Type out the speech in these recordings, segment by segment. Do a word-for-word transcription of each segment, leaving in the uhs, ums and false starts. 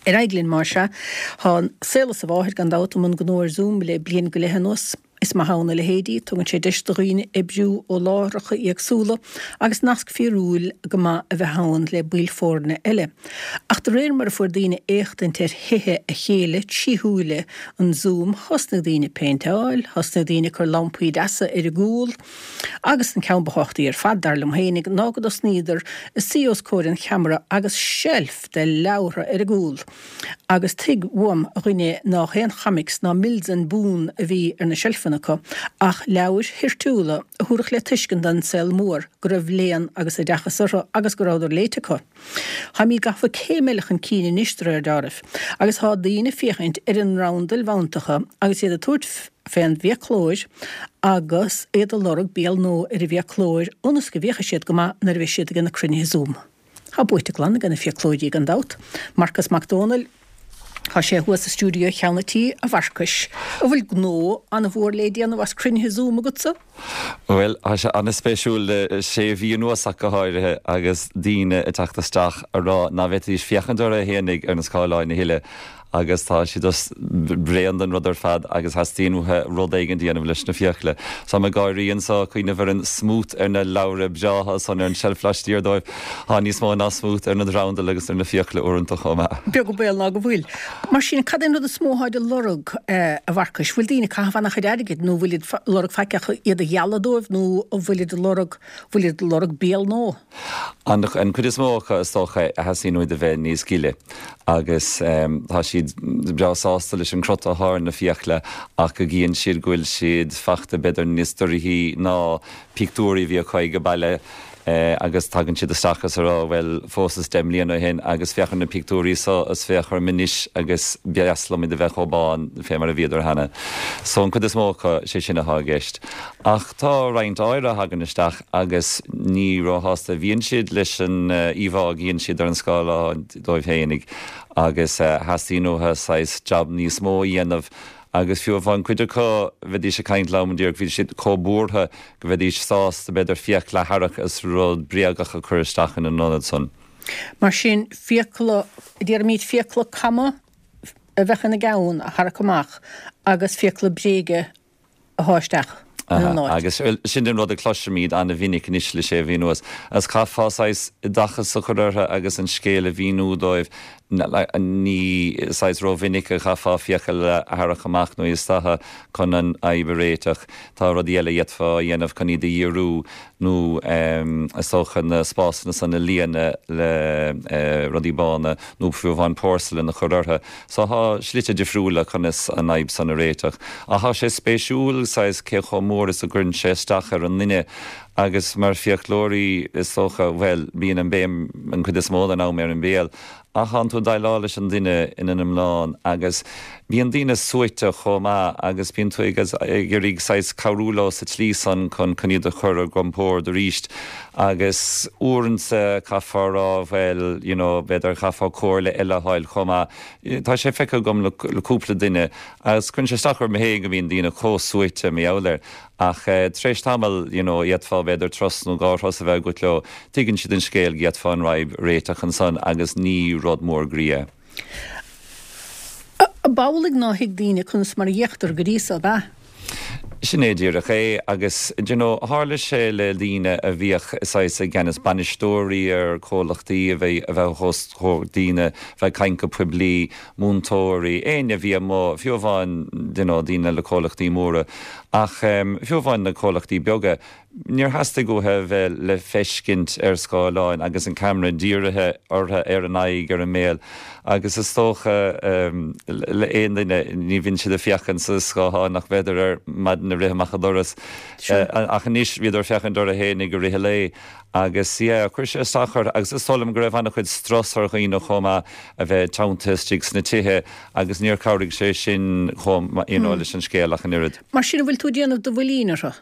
Ar aghaidh linn mar sin, tá an saol is a mháthair gan dabht i mbun gnó ar Zoom le bliain go leith anuas. Is maith ann a leithéidí, tugann sé deis do dhaoine oibriú ó láithreacha éagsúla agus nasc fíorúil go maith a bheith ann le baill foirne eile. Ach de réir mar a fuair daoine éachtaint ar thithe a chéile trí shúile an Zoom, thosnaigh daoine péinteáil, thosnaigh daoine cur lampaí deasa ar a gcúl, agus an ceann ba thábhachtaí ar fad dar liom féinig ná go dtosnaíodar ag suí os comhair an cheamara agus seilf de leabhartha ar a gcúl. Agus tuig uaim a dhuine nach aon chomics ná Mills and Boon a bhí ar na seilfeanna acu, ach leabhair thoirtiúla a thabharfadh le tuiscint don saol mór go raibh léann agus oideachas orthu agus go rabhadar léite acu. Táimid gafa céim eile chun cinn anois de réir dealraimh, agus tá daoine ag féachaint ar an mbrandail mheantacha agus iad ag tabhairt fén bhfiaclóir agus iad ag lorg béal nua ar an bhfiaclóir ionas go bhféachfaidh siad go maith nuair a bheidh siad ag na cruinnithe Zoom. Tá buaite glan ag na fiaclóirí gan dabht. Marcas Mac Dónaill, Tá sé thuas sa stiúideo cheann an tí a Mharcais. An bhfuil gnó an-mhór le déanamh as cruinnithe Zoom agatsa? Bhuel, tá sé an-spéisiúil le sé mhí anuas ach go háirithe agus daoine ag teacht isteach a rá nach bhféadfaidís féachaint orthu fhéinig ar na scáileáin a thuilleadh agus tá siad just bréan den rud ar fad agus theastaíonn uathu rud éigin a dhéanamh leis na fiacla. So ag gáirí anseo cuimhneamh ar an smut ar na leabhra breátha san ar an tseilf laistiar dóibh tá níos mó ná smut ar na drandail agus ar na fiacla uaireanta chomh maith. Beag an baol ná go bhfuil. Mar sin cad é an rud is mó atáid a lorg eh, a Mharcais, bhfuil daoine ag caitheamh an-chuid airgid nó bhfuil lorg faic iad a ghealladh dóibh nó bhfuil ag lorg bhfuil ag lorg béal nua. An an chuid is mó acu is dócha a theastaíonn uathu a bheith níos gile agus um, tá siad breá sásta leis an crot atá ar na fiacla ach go gcíonn siad go bhfuil siad fachta b'fhéidir níos dorchaí ná pictiúirí bhí acu ag baile eh, agus tagann siad isteach is rá bhuel phósas deich mbliana ó shin agus féach ar na pictiúirí so is féach orm anois agus b'fhearr liom iad a bheith chomh bán fé mar a bhíodar cheana. So an chuid is mó acu sé sin atá i gceist. Ach tá roinnt áirithe a thagann isteach agus ní róshásta bhíonn siad leis an uh, íomhá a chíonn siad ar an scáileán dóibh féinig agus uh, theastaíonn uathu saghas job níos mó a dhéanamh agus fiú amháin cuid acu bhídís ag caint liom díreach bhí siad chomh buartha go bhídís sásta b'fhéidir fiacla a tharrac is rud bréagach a chur isteach in an ionad san. Mar sin fiacla déarfaimid fiacla cama a bheith ina gceann a tharrac amach agus fiacla bréige a shá isteach. Agus sin den rud a chloisimid an-mhinic anois le sé mhí anuas. As caithfeá saghas oideachas a chur orthu agus an scéal a mhíniú dóibh ní saghas rómhinic a chaithfeá fiacail a tharrac amach nó isteach chun an fhadhb a réiteach. Tá rudaí eile d'fhéadfá a dhéanamh chun iad a dhíriú nó is dócha na spásanna san a líonadh le rudaí bána nó fiú amháin porcelain a chur orthu. So tá slite difriúla chun is an fhadhb san a réiteach. Ach tá sé spéisiúil saghas cé chomh mór is a gcuireann sé isteach ar an duine agus mar fiaclóirí is dócha bhuel bíonn an béim an chuid is mó den am ar an béal. Ach tá tú ag déileáil leis an duine ina iomlán agus bíonn daoine suaite chomh maith agus bíonn tú ag iarraidh saghas cabhrú leo sa tslí san chun chun iad a chur ar a gcompord arís agus uaireanta caithfear rá bhuel you know, b'fhéidir caithfear comhairle eile a fháil chomh maith. Tá sé feicthe agam le cúpla duine agus cuireann sé isteach orm féin go mbíonn daoine chomh suaite mar gheall air. Ach uh, tar éis tamaill you know, d'fhéadfá b'fhéidir turas nó dhá thuras a bheith agat leo, tuigeann siad an scéal d'fhéadfá an fhadhb a réiteach ansan agus ní rud mór groí é. B'amhlaidh nár thuig daoine conas mar a fhéachtar go dtí seo ab ea. Sin é díreach é agus you know, tharla sé le daoine a bhíodh saghas i gceannas bainisteoirí ar chomhlachtaí a bheith a bheith os comhair daoine bheith caint go poiblí, múinteoirí, éinne a bhí amuigh, fiú amháin you know, daoine le comhlachtaí móra ach um, fiú amháin na comhlachtaí beaga. Níor theastaigh uathu bheith le feiscint ar scáileáin agus an camera dírithe orthu ar an aghaidh ar an mbéal agus is dócha um, le aon duine ní bhíonn siad ag féachaint sa scáthán ach b'fhéidir ar maidin ag rith amach an doras uh, ach anois bhíodar ag féachaint orthu féin i rith an lae agus yeah, chuir sé isteach agus is dóigh liom go raibh an-chuid strus ar dhaoine chomh maith a bheith teanntaithe istigh sna tithe agus níor chabhraigh sé sin chomh you know, mm. leis an scéal ach an oiread. Mar sin bhfuil tú déanamh do bhuilín orthu?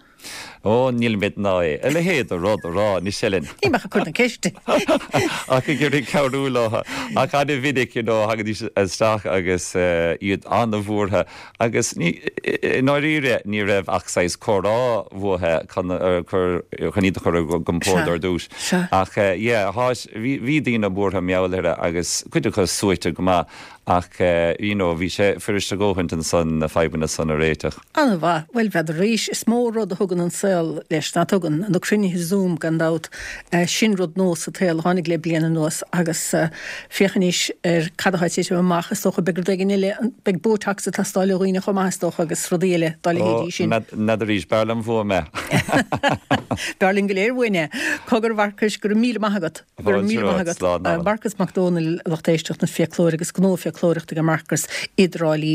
Ó níl mé ná é a leithéid de rud a rá ní sin. Ní ach cur na ceiste. Ach ag iarraidh cabhrú leo ach an-mhinic you know, thagaidís isteach agus uh, iad an-bhuartha agus ní ndáiríre ní raibh ach saghas comhrá uathu chun chun iad a chur ar a gcompord ar dtús. Ach uh, yeah, bhí bhí daoine buartha meallire agus cuid acu suaite go maith ach uh, you know, bhí sé fuirist a dhóthain ansan na fadhbanna san a réiteach. An-mhaith, bhuel n'fheadar is mó rud a thugann an saol leis ná tugann na cruinnithe Zoom gan dabht uh, sin rud nua sa tsaol a tháinig le bliain anuas agus uh, féachaimis ar cad atá ag titim amach is dócha beidh rud eile beidh Botox ag teastáil ó dhaoine chomh maith is dócha agus rudaí eile dá leithéidí sin. N'fheadar b'fhearr liom uaim é. B'fhearr linn go léir uainn é. Cogar Mharcais go raibh míle maith agat go raibh míle maith agat Marcas Mac Dónaill lucht éisteachta na fiaclóir agus gnó fiaclóireachta ag Marcas i dTrá Lí.